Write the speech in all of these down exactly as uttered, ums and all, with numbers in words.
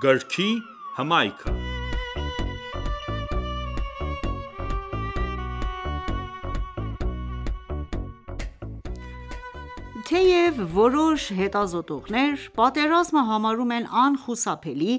Գրքի հմայքը։ Թեև որոշ հետազոտողներ պատերազմը համարում են անխուսափելի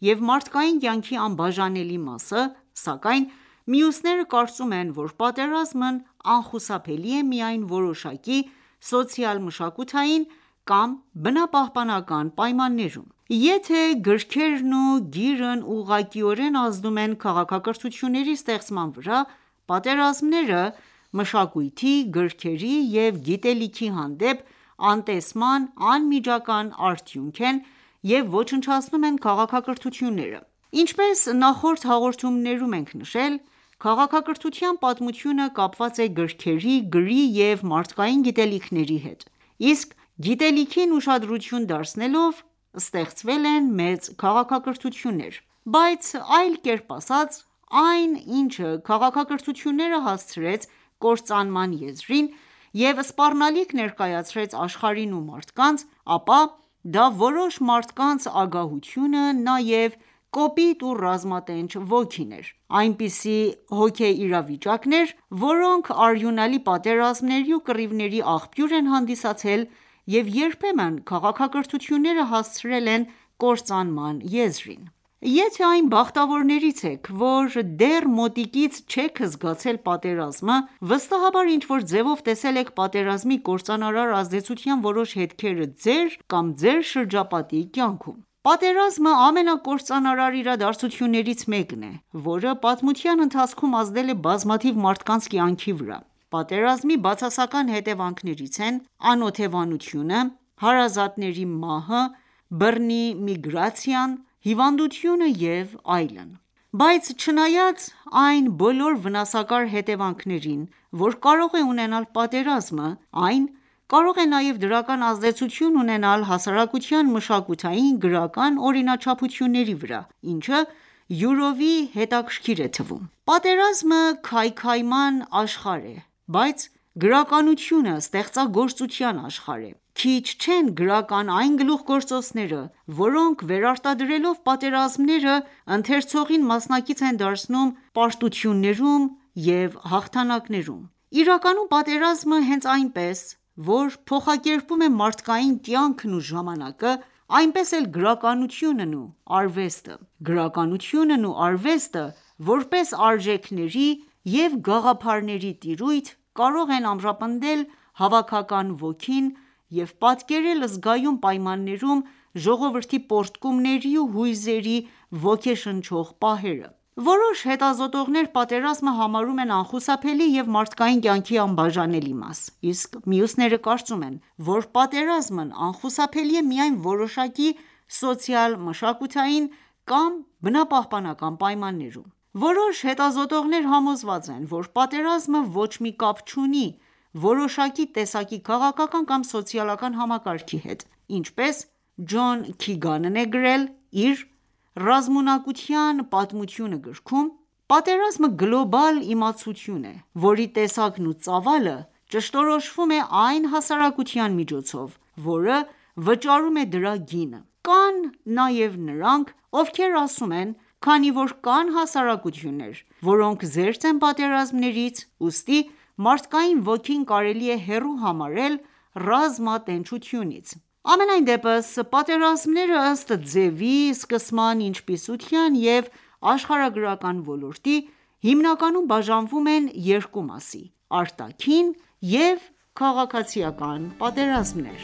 և մարդկային կյանքի անբաժանելի մասը, սակայն մյուսները կարծում են, որ պատերազմն անխուսափելի է միայն որոշակի սոցիալ-մշակութային կամ բնապահպանական պայմաններում: Եթե գրքերն ու գիրն ուղղակիորեն ազդում են քաղաքակրթությունների ստեղծման վրա, պատերազմները մշակույթի, գրքերի և գիտելիքի հանդեպ անտեսման անմիջական արդյունք են և ոչնչացնում են քաղաքակրթությունները: Ինչպես նախորդ հաղորդումներում ենք նշել, քաղաքակրթության պատմությունը կապված է գրքերի, գրի և մարդկային գիտելիքների հետ, իսկ գիտելիքին ուշադրություն դարձնելով ստեղծվել են մեծ քաղաքակրթություններ: Բայց այլ կերպ ասած, այն ինչը քաղաքակրթությունները հասցրեց կործանման եզրին և սպառնալիք ներկայացրեց աշխարհին ու մարդկանց, ապա դա որոշ մարդկանց ագահությունը, նաև կոպիտ ու ռազմատենչ ոգին էր: Այնպիսի հոգեիրավիճակներ, որոնք արյունալի պատերազմների ու կռիվների աղբյուր են հանդիսացել և երբեմն քաղաքակրթությունները հասցրել են կործանման եզրին: Եթե այն բախտավորներից եք, որ դեռ մոտիկից չեք զգացել պատերազմը, վստահաբար ինչ-որ ձևով տեսել եք պատերազմի կործանարար ազդեցության որոշ հետքերը ձեր կամ ձեր շրջապատի կյանքում: Պատերազմը ամենակործանարար իրադարձություններից մեկն է, որը պատմության ընթացքում ազդել է բազմաթիվ մարդկանց կյանքի վրա: Պատերազմի բացասական հետևանքներից են անօթևանությունը, հարազատների մահը, բռնի միգրացիան, հիվանդությունը և այլն: Բայց չնայած այն բոլոր վնասակար հետևանքներին, որ կարող է ունենալ պատերազմը, այն կարող է նաև դրական ազդեցություն ունենալ հասարակության մշակութային, գրական օրինաչափությունների վրա, ինչը յուրովի հետաքրքիր է թվում: Պատերազմը քայքայման աշխարհ է, բայց գրականությունը ստեղծագործության աշխարհ է: Քիչ չեն գրական այն գլուխգործոցները, որոնք վերարտադրելով պատերազմները, ընթերցողին մասնակից են դարձնում պարտություններում և հաղթանակներում: Իրականում պատերազմը հենց այնպես, որ փոխակերպում է մարդկային կյանքն ու ժամանակը, այնպես էլ գրականությունն ու արվեստը: Գրականությունն ու արվեստը, որպես արժեքների և գաղափարների տիրույթ, կարող են ամրապնդել հավաքական ոգին և պատկերել զգայուն պայմաններում ժողովրդի պոռթկումների ու հույզերի ոգեշնչող պահերը: Որոշ հետազոտողներ պատերազմը համարում են անխուսափելի և մարդկային կյանքի անբաժանելի մաս, իսկ մյուսները կարծում են, որ պատերազմն անխուսափելի է միայն որոշակի սոցիալ-մշակութային կամ բնապահպանական պայմաններում: Որոշ հետազոտողներ համոզված են, որ պատերազմը ոչ մի կապ չունի որոշակի տեսակի քաղաքական կամ սոցիալական համակարգի հետ: Ինչպես Ջոն Քիգանն է գրել իր «Ռազմունակության պատմությունը» գրքում. «Պատերազմը գլոբալ իմացություն է, որի տեսակն ու ծավալը ճշտորոշվում է այն հասարակության միջոցով, որը վճարում է դրա գինը: Կան նաև նրանք, ովքեր ասում են, քանի որ կան հասարակություններ, որոնք զերծ են պատերազմներից, ուստի մարդկային ոգին կարելի է հեռու համարել ռազմատենչությունից: Համենայն դեպս, պատերազմները ըստ ձևի, սկսման, ինչպիսության և աշխարհագրական ոլորտի, հիմնականում բաժանվում են երկու մասի՝ արտաքին և քաղաքացիական պատերազմներ: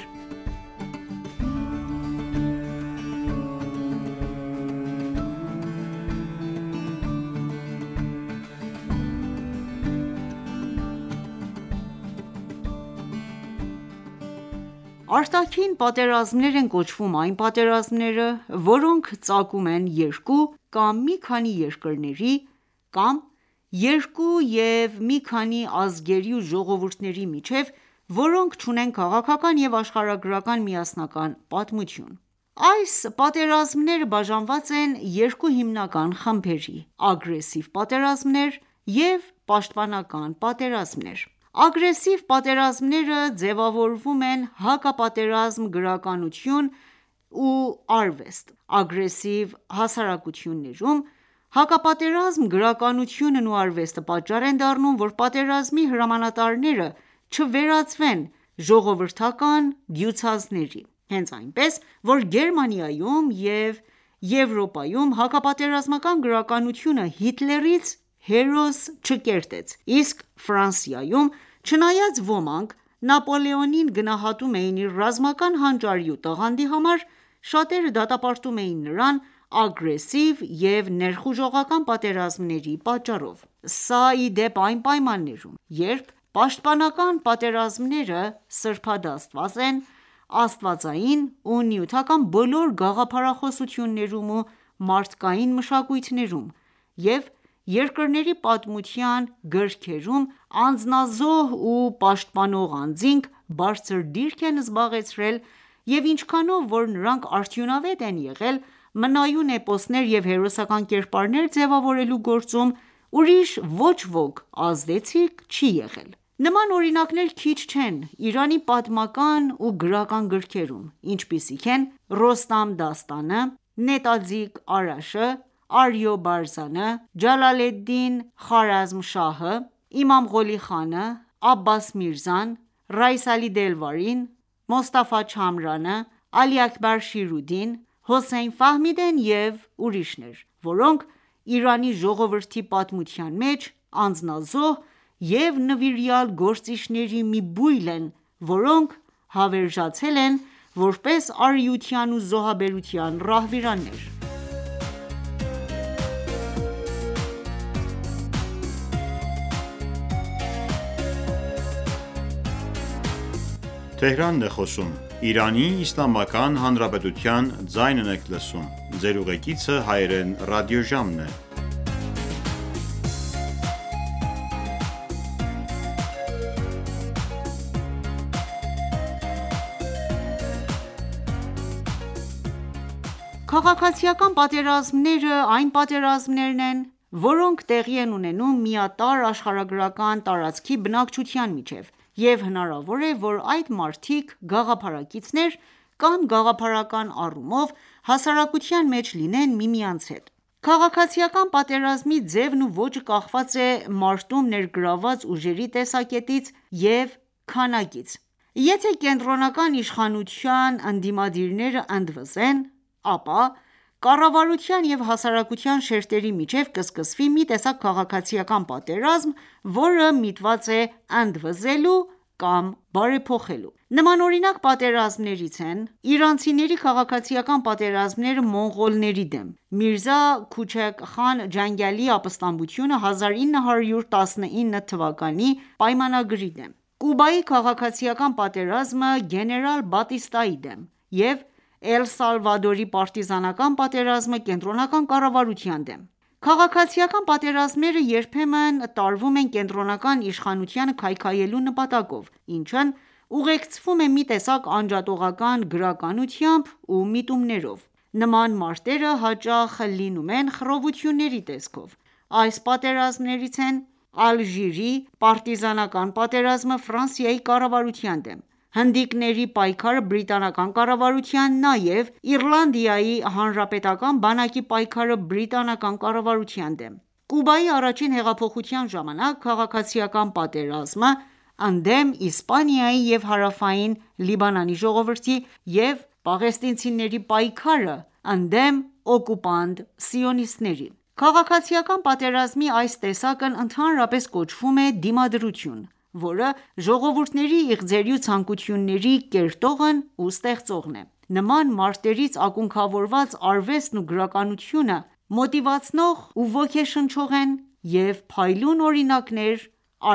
Արտաքին պատերազմներ են կոչվում այն պատերազմները, որոնք ծագում են երկու կամ մի քանի երկրների կամ երկու և մի քանի ազգերի ու ժողովուրդների միջև, որոնք չունեն քաղաքական և աշխարհագրական միասնական պատմություն: Այս պատերազմները բաժանված են երկու հիմնական խմբերի՝ ագրեսիվ պատերազմներ և պաշտպանական պատերազմներ: Ագրեսիվ պատերազմները ձևավորվում են հակապատերազմ գրականություն ու արվեստ։ Ագրեսիվ հասարակություններում հակապատերազմ գրականությունն ու արվեստը պատճառ են դառնում, որ պատերազմի հրամանատարները չվերածվեն ժողովրդական դյուցազների: Հենց այնպես, որ Գերմանիայում և Եվրոպայում հակապատերազմական գրականությունը Հիտլերից հերոս չկերտեց, իսկ Ֆրանսիայում, չնայած ոմանք Նապոլեոնին գնահատում էին իր ռազմական հանճարի ու տաղանդի համար, շատերը դատապարտում էին նրան ագրեսիվ և ներխուժողական պատերազմների պատճառով: Սա, ի դեպ, այն պայմաններում, երբ պաշտպանական պատերազմները սրբադաստված են աստվածային ու նյութական բոլոր գաղափարախոսություններում ու մարդկային մշակույթներում, և երկրների պատմության գրքերում անձնազոհ ու պաշտպանող անձինք բարձր դիրք են զբաղեցրել և ինչքանով որ նրանք արդյունավետ են եղել մնայուն էպոսներ և հերոսական կերպարներ ձևավորելու գործում, ուրիշ ոչ ոք ազդեցիկ չի եղել: Նման օրինակներ քիչ չեն Իրանի պատմական ու գրական գրքերում, ինչպիսիք են Ռոստամ դաստանը, Նետաձիգ Արաշը, Արյո Բարզանը, Ջալալեդդին Խարազմշահը, Իմամ Ղոլի խանը, Աբբաս Միրզան, Ռայիս Ալի Դելվարին, Մոստաֆա Չամրանը, Ալի Աքբար Շիրուդին, Հոսեյն Ֆահմիդեն և ուրիշներ, որոնք Իրանի ժողովրդի պատմության մեջ անձնազոհ և նվիրյալ գործիչների մի բույլ են, որոնք հավերժացել են որպես արիության ու զոհաբերության ռահվիրաններ: Քաղաքացիական պատերազմները այն պատերազմներն են, որոնք տեղի են ունենում միատարր աշխարհագրական տարածքի բնակչության միջև, և հնարավոր է, որ այդ մարդիկ գաղափարակիցներ կամ գաղափարական առումով հասարակության մեջ լինեն միմյանց հետ: Քաղաքացիական պատերազմի ձևն ու ոճը կախված է մարտում ներգրավված ուժերի տեսակետից և քանակից: Եթե կենտրոնական իշխանության ընդդիմադիրները ընդվզեն, ապա կառավարության և հասարակության շերտերի միջև կսկսվի մի տեսակ քաղաքացիական պատերազմ, որը միտված է ընդվզելու կամ բարեփոխելու: Նմանօրինակ պատերազմներից են իրանցիների քաղաքացիական պատերազմները մոնղոլների դեմ, Միրզա Քուչեկ խան Ջանգալիի ապստամբությունը հազար ինը հարյուր տասնինը թվականի պայմանագրի դեմ, Կուբայի քաղաքացիական պատերազմը գեներալ Բատիստայի դեմ և Էլ Սալվադորի պարտիզանական պատերազմը կենտրոնական կառավարության դեմ: Քաղաքացիական պատերազմները երբեմն տարվում են կենտրոնական իշխանությանը քայքայելու նպատակով, ինչն ուղեկցվում է մի տեսակ անջատողական գրականությամբ ու միտումներով: Նման մարտերը հաճախ լինում են խռովությունների տեսքով: Այս պատերազմներից են Ալժիրի պարտիզանական պատերազմը Ֆրանսիայի կառավարության դեմ, հնդիկների պայքարը բրիտանական կառավարության, նաև Իռլանդիայի հանրապետական բանակի պայքարը բրիտանական կառավարության դեմ, Կուբայի առաջին հեղափոխության ժամանակ քաղաքացիական պատերազմը ընդդեմ Իսպանիայի և Հարավային Լիբանանի ժողովրդի և պաղեստինցիների պայքարը ընդդեմ օկուպանտ սիոնիստների: Քաղաքացիական պատերազմի այս տեսակն ընդհանրապես կոչվում է դիմադրություն, որը ժողովուրդների իղձերի ու ցանկությունների կերտողն ու ստեղծողն է: Նման մարտերից ակունքավորված արվեստն ու գրականությունը մոտիվացնող ու ոգեշնչող են և փայլուն օրինակներ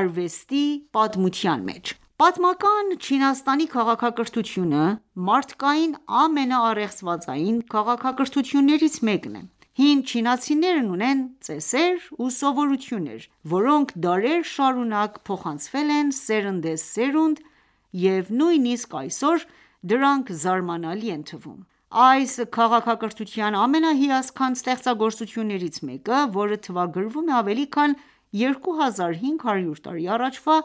արվեստի պատմության մեջ: Պատմական Չինաստանի քաղաքակրթությունը մարդկային ամենաառեղծվածային քաղաքակրթություններից մեկն է: Հին չինացիներն ունեն ծեսեր ու սովորություններ, որոնք դարեր շարունակ փոխանցվել են սերնդեսերունդ և նույնիսկ այսօր դրանք զարմանալի են թվում: Այս քաղաքակրթության ամենահիասքանչ ստեղծագործություններից մեկը, որը թվագրվում է ավելի քան երկու հազար հինգ հարյուր տարի առաջվա,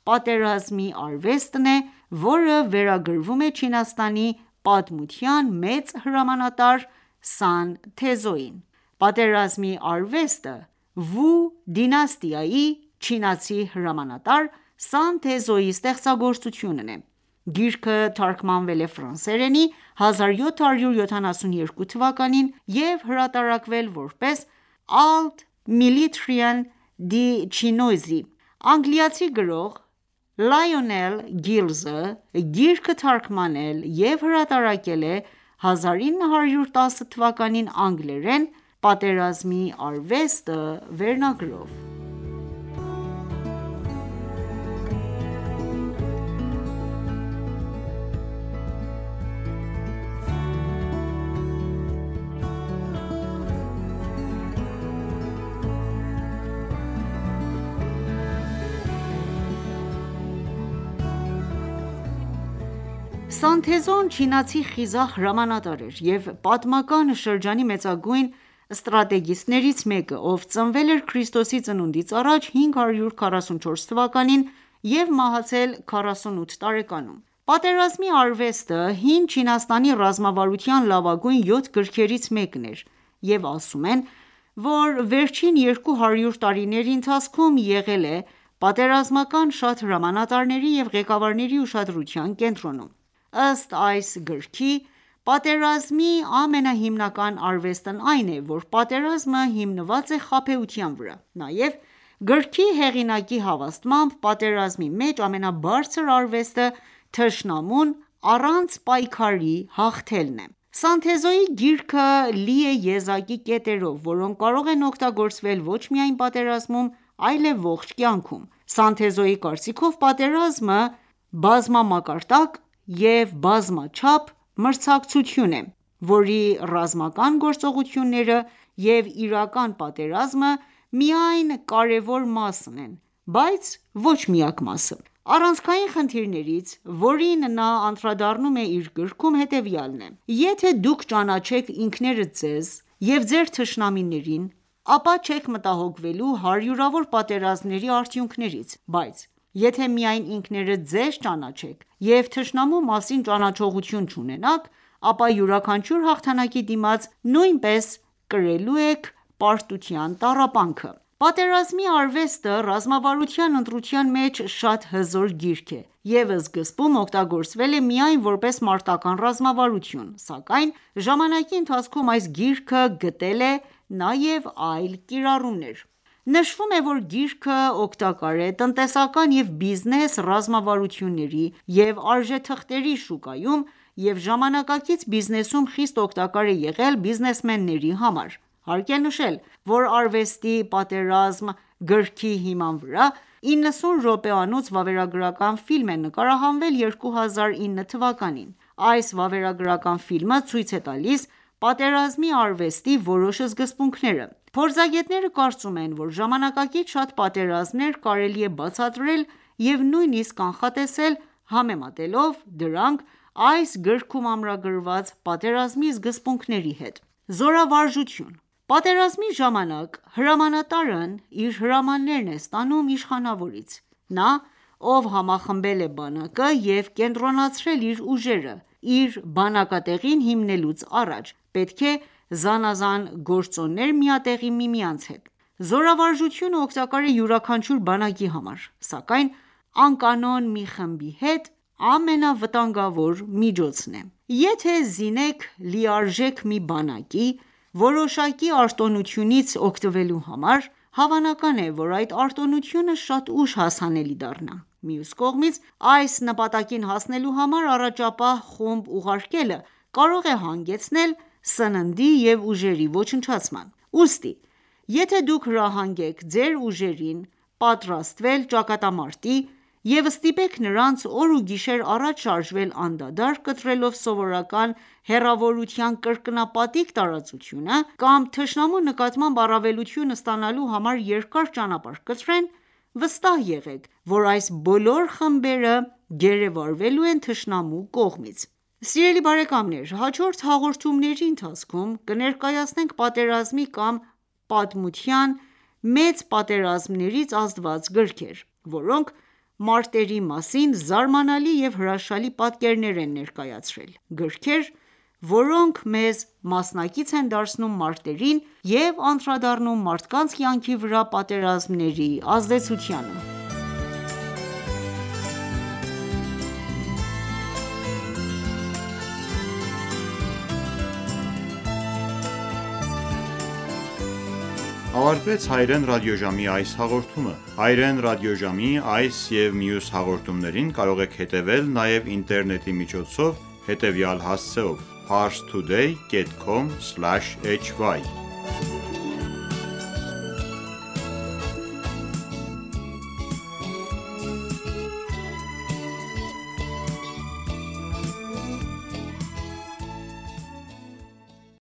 պատերազմի արվեստն է, որը վերագրվում է Չինաստանի պատմության մեծ հրամանատար Սան Թեզոյին։ Պատերազմի արվեստը Վու դինաստիայի չինացի հրամանատար Սան Թեզոյի ստեղծագործությունն է։ Գիրքը թարգմանվել է ֆրանսերենի հազար յոթ հարյուր յոթանասունյոթ թվականին և հրատարակվել որպես Alt Militaire de Chinoiserie։ Անգլիացի գրող Լայոնել Գիլզը գիրքը թարգմանել և հրատարակել է հազար ինը հարյուր տասը թվականին անգլերեն «Պատերազմի արվեստը» վերնագրով։ Սան Թեզոն չինացի խիզախ հրամանատար էր և պատմական շրջանի մեծագույն ստրատեգիստներից մեկը, ով ծնվել էր Ք.ծ.ծ. առաջ հինգ հարյուր քառասունչորս թվականին և մահացել քառասունութ տարեկանում։ Պատերազմի արվեստը հին Չինաստանի ռազմավարության լավագույն յոթ գրքերից մեկն էր և ասում են, որ վերջին երկու հարյուր տարիների ընթացքում եղել է պատերազմական շատ հրամանատարների և ղեկավարների ուշադրության կենտրոնում։ Ըստ այս գրքի, պատերազմի ամենահիմնական արվեստն այն է, որ պատերազմը հիմնված է խաբեության վրա։ Նաև գրքի հեղինակի հավաստմամբ, պատերազմի մեջ ամենաբարձր արվեստը թշնամուն առանց պայքարի հաղթելն է։ Սան Թեզոյի գիրքը լի է եզակի կետերով, որոնք կարող են օգտագործվել ոչ միայն պատերազմում, այլև ողջ կյանքում։ Սան Թեզոյի կարծիքով պատերազմը բազմամակարդակ և բազմաչափ մրցակցություն է, որի ռազմական գործողությունները և իրական պատերազմը միայն կարևոր մասն են, բայց ոչ միակ մասը։ Առանցքային խնդիրներից, որին նա անդրադառնում է իր գրքում, հետևյալն է. «Եթե դուք ճանաչեք ինքներդ ձեզ և ձեր թշնամիներին, ապա չեք մտահոգվելու հարյուրավոր պատերազմների արդյունքներից, բայց եթե միայն ինքներդ ձեզ ճանաչեք և թշնամու մասին ճանաչողություն չունենաք, ապա յուրաքանչյուր հաղթանակի դիմաց նույնպես կրելու եք պարտության տառապանքը»։ Պատերազմի արվեստը ռազմավարության ընտրության մեջ շատ հզոր գիրք է և սկզբում օգտագործվել է միայն որպես մարտական ռազմավարություն, սակայն ժամանակի ընթացքում այս գիրքը գտել է նաև այլ կիրառումներ։ Նշվում է, որ գիրքը օգտակար է տնտեսական և բիզնես ռազմավարությունների և արժեթղթերի շուկայում և ժամանակակից բիզնեսում խիստ օգտակար է եղել բիզնեսմենների համար։ Հարկ է նշել, որ «Արվեստի պատերազմ» գրքի հիման վրա իննսուն րոպեանոց վավերագրական ֆիլմ է նկարահանվել երկու հազար ինը թվականին։ Այս վավերագրական ֆիլմը ցույց է տալիս պատերազմի արվեստի որոշ սկզբունքները։ Փորձագետները կարծում են, որ ժամանակակից շատ պատերազմներ կարելի է բացատրել և նույնիսկ կանխատեսել, համեմատելով դրանք այս գրքում ամրագրված պատերազմի սկզբունքների հետ։ Զորավարժություն Պատերազմի ժամանակ հրամանատարն իր հրամաններն է ստանում իշխանավորից։ Նա, ով համախմբել է բանակը և կենտրոնացրել իր ուժերը, իր բանակատեղին հիմնելուց առաջ, պետք է զանազան գործոններ միատեղի միմյանց հետ։ Զորավարժությունը օգտակար է յուրաքանչյուր բանակի համար, սակայն անկանոն մի խմբի հետ ամենավտանգավոր միջոցն է։ Եթե զինեք լիարժեք մի բանակի որոշակի արտոնությունից օգտվելու համար, հավանական է, որ այդ արտոնությունը շատ ուշ հասանելի դառնա։ Մյուս կողմից, այս նպատակին հասնելու համար առաջապահ խումբ ուղարկելը կարող է հանգեցնել սննդի և ուժերի ոչնչացման։ Ուստի եթե դուք հրահանգեք ձեր ուժերին պատրաստվել ճակատամարտի և ստիպեք նրանց օր ու գիշեր առաջ շարժվել անդադար կտրելով սովորական հեռավորության կրկնապատիկ տարածությունը, կամ թշնամու նկատմամբ առավելություն ստանալու համար երկար ճանապարհ կտրեն, վստահ եղեք, որ այս բոլոր խմբերը գերեվարվելու են թշնամու կողմից։ Սիրելի բարեկամներ հաջորդ հաղորդումների ընթացքում կներկայացնենք պատերազմի կամ պատմության մեծ պատերազմներից ազդված գրքեր, որոնք մարտերի մասին զարմանալի և հրաշալի պատկերներ են ներկայացրել: Գրքեր, որոնք մեզ մասնակից են դարձնում մարտերին և անդրադառնում մարդկանց կյանքի վրա պատերազմների ազդեցությանը: Ավարտվեց հայերեն ռադիոժամի այս հաղորդումը: Հայերեն ռադիոժամի այս և մյուս հաղորդումներին կարող եք հետևել նաև ինտերնետի միջոցով հետևյալ հասցեով՝ parstoday.com/hy